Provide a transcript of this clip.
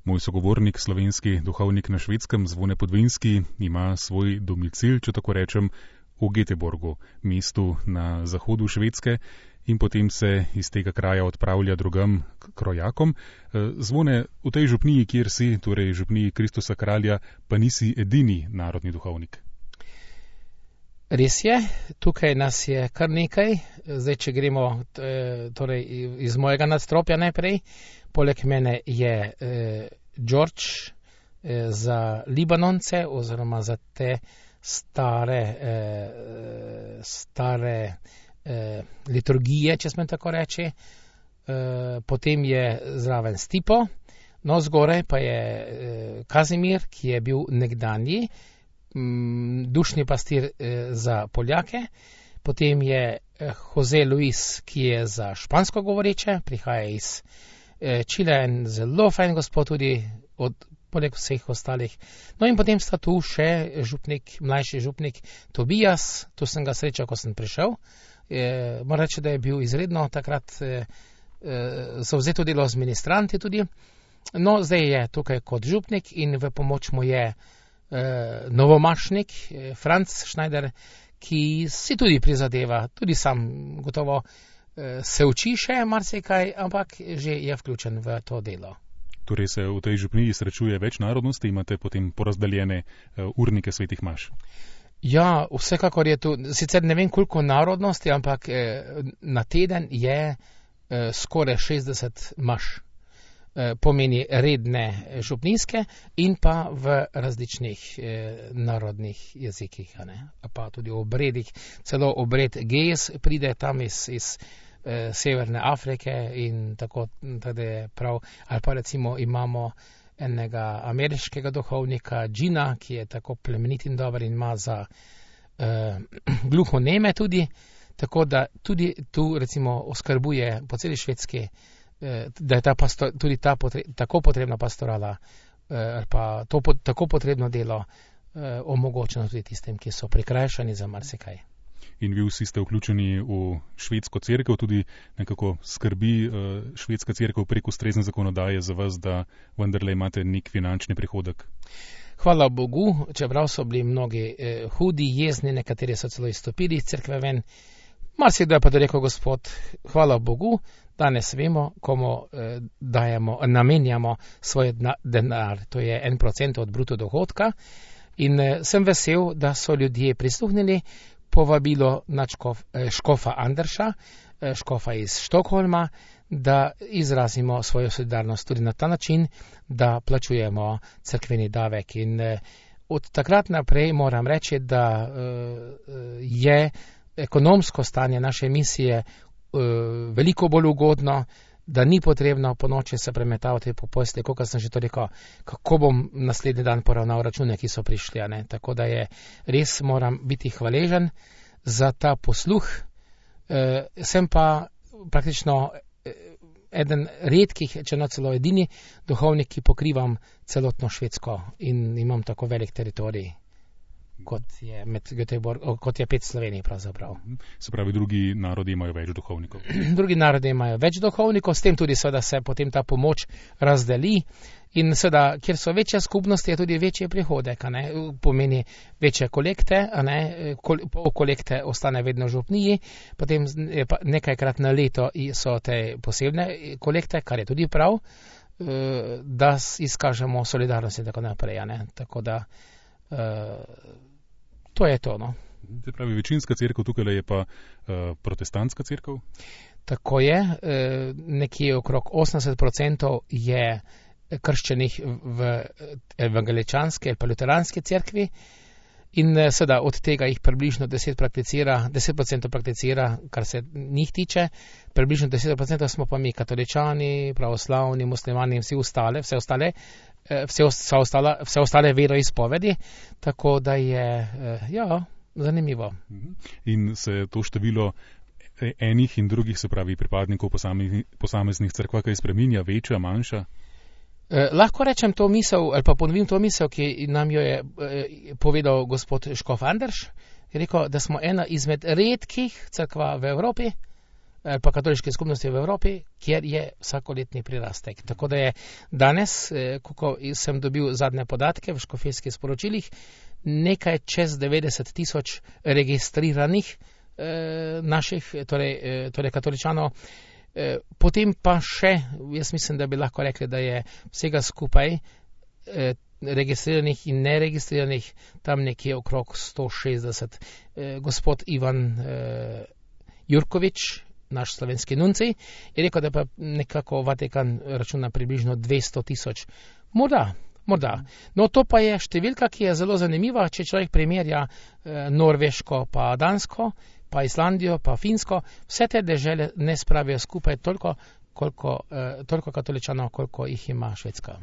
Moj sogovornik, slovenski duhovnik na Švedskem, Zvone Podvinski, ima svoj domicil, če tako rečem, v Göteborgu, mestu na zahodu Švedske, in potem se iz tega kraja odpravlja drugam k rojakom. Zvone, v tej župniji, kjer si, torej župniji Kristusa Kralja, pa nisi edini narodni duhovnik. Res je, tukaj nas je kar nekaj. Zdaj, če gremo torej iz mojega nadstropja najprej, poleg mene je George za Libanonce oziroma za te stare liturgije, če smem tako reči. Potem je zraven Stipo, no zgoraj pa je Kazimir, ki je bil nekdanji dušni pastir za Poljake. Potem je Jose Luis, ki je za špansko govoreče, prihaja iz Čile, en zelo fajn gospod tudi poleg vseh ostalih. No in potem sta tu še župnik, mlajši župnik Tobias, tu sem ga srečal, ko sem prišel. Moram reči, da je bil izredno takrat zavzeto delo z ministranti tudi. No, zdaj je tukaj kot župnik in v pomoč mu je novomašnik Franc Schneider, ki si tudi prizadeva, tudi sam gotovo se uči še marsikaj, ampak že je vključen v to delo. Torej se v tej župniji srečuje več narodnosti, imate potem porazdeljene urnike svetih maš? Ja, vsekakor je tu, sicer ne vem koliko narodnosti, ampak na teden je skoraj 60 maš. Pomeni redne župnijske in pa v različnih narodnih jezikih, pa tudi obredih. Celo obred Gez pride tam iz Severne Afrike in tako, da je prav. Ali pa recimo imamo enega ameriškega duhovnika Gina, ki je tako plemenit in dober in ima za gluhoneme tudi, tako da tudi tu recimo oskrbuje po celi Švedski, da je tudi ta tako potrebna pastorala, pa to tako potrebno delo omogočeno tudi tistem, ki so prikrajšani za marsikaj. In vi vsi ste vključeni v švedsko cerkev, tudi nekako skrbi švedska cerkev prek ustrezne zakonodaje za vas, da vendarle imate nek finančni prihodek? Hvala Bogu, čeprav so bili mnogi hudi, jezni, nekateri so celo izstopili iz cerkve ven. Marsikdo je pa rekel, Gospod, hvala Bogu, danes vemo, komu namenjamo svoj denar, to je 1% od bruto dohodka. In sem vesel, da so ljudje prisluhnili povabilo na škofa Anderša, škofa iz Štokholma, da izrazimo svojo solidarnost tudi na ta način, da plačujemo cerkveni davek. In od takrat naprej moram reči, da je ekonomsko stanje naše misije veliko bolj ugodno, da ni potrebno po noči se premetavati po postelji, kot sem že to rekel, kako bom naslednji dan poravnal račune, ki so prišli. Tako da je res moram biti hvaležen za ta posluh. Sem pa praktično eden redkih, če ne celo edini duhovnik, ki pokrivam celotno Švedsko in imam tako velik teritorij, kot je kot je 5 Slovenij pravzaprav. Se pravi, drugi narodi imajo več duhovnikov? Drugi narodi imajo več duhovnikov, s tem tudi seveda se potem ta pomoč razdeli in seveda, kjer so večje skupnosti, je tudi večji prihodek, pomeni večje kolekte, pol kolekte ostane vedno v župniji, potem nekajkrat na leto so te posebne kolekte, kar je tudi prav, da izkažemo solidarnost in tako naprej, tako da to je to, no. Se pravi, večinska cerkev tukaj je pa protestantska cerkev? Tako je, nekje okrog 80% je krščenih v evangeličanski ali pa luteranski cerkvi in seveda od tega jih približno 10% prakticira, kar se njih tiče, približno 10% smo pa mi katoličani, pravoslavni, muslimani in vse ostale veroizpovedi, tako da je, zanimivo. In se to število enih in drugih, se pravi pripadnikov posameznih cerkva, kaj spreminja, večja, manjša? Lahko rečem to misel, ali pa ponovim to misel, ki nam jo je povedal gospod škof Anders, je rekel, da smo ena izmed redkih cerkva v Evropi, pa katoliške skupnosti v Evropi, kjer je vsakoletni prirastek. Tako da je danes, ko sem dobil zadnje podatke v škofijskih sporočilih, nekaj čez 90 tisoč registriranih naših, torej katoličanov. Potem pa še, jaz mislim, da bi lahko rekli, da je vsega skupaj registriranih in neregistriranih tam nekje okrog 160. Gospod Ivan Jurkovič, naš slovenski nuncij, je rekel, da pa nekako Vatikan računa približno 200 tisoč. Morda. No, to pa je številka, ki je zelo zanimiva, če človek primerja Norveško pa Dansko, pa Islandijo, pa Finsko, vse te dežele ne spravijo skupaj toliko katoličanov, koliko jih ima Švedska.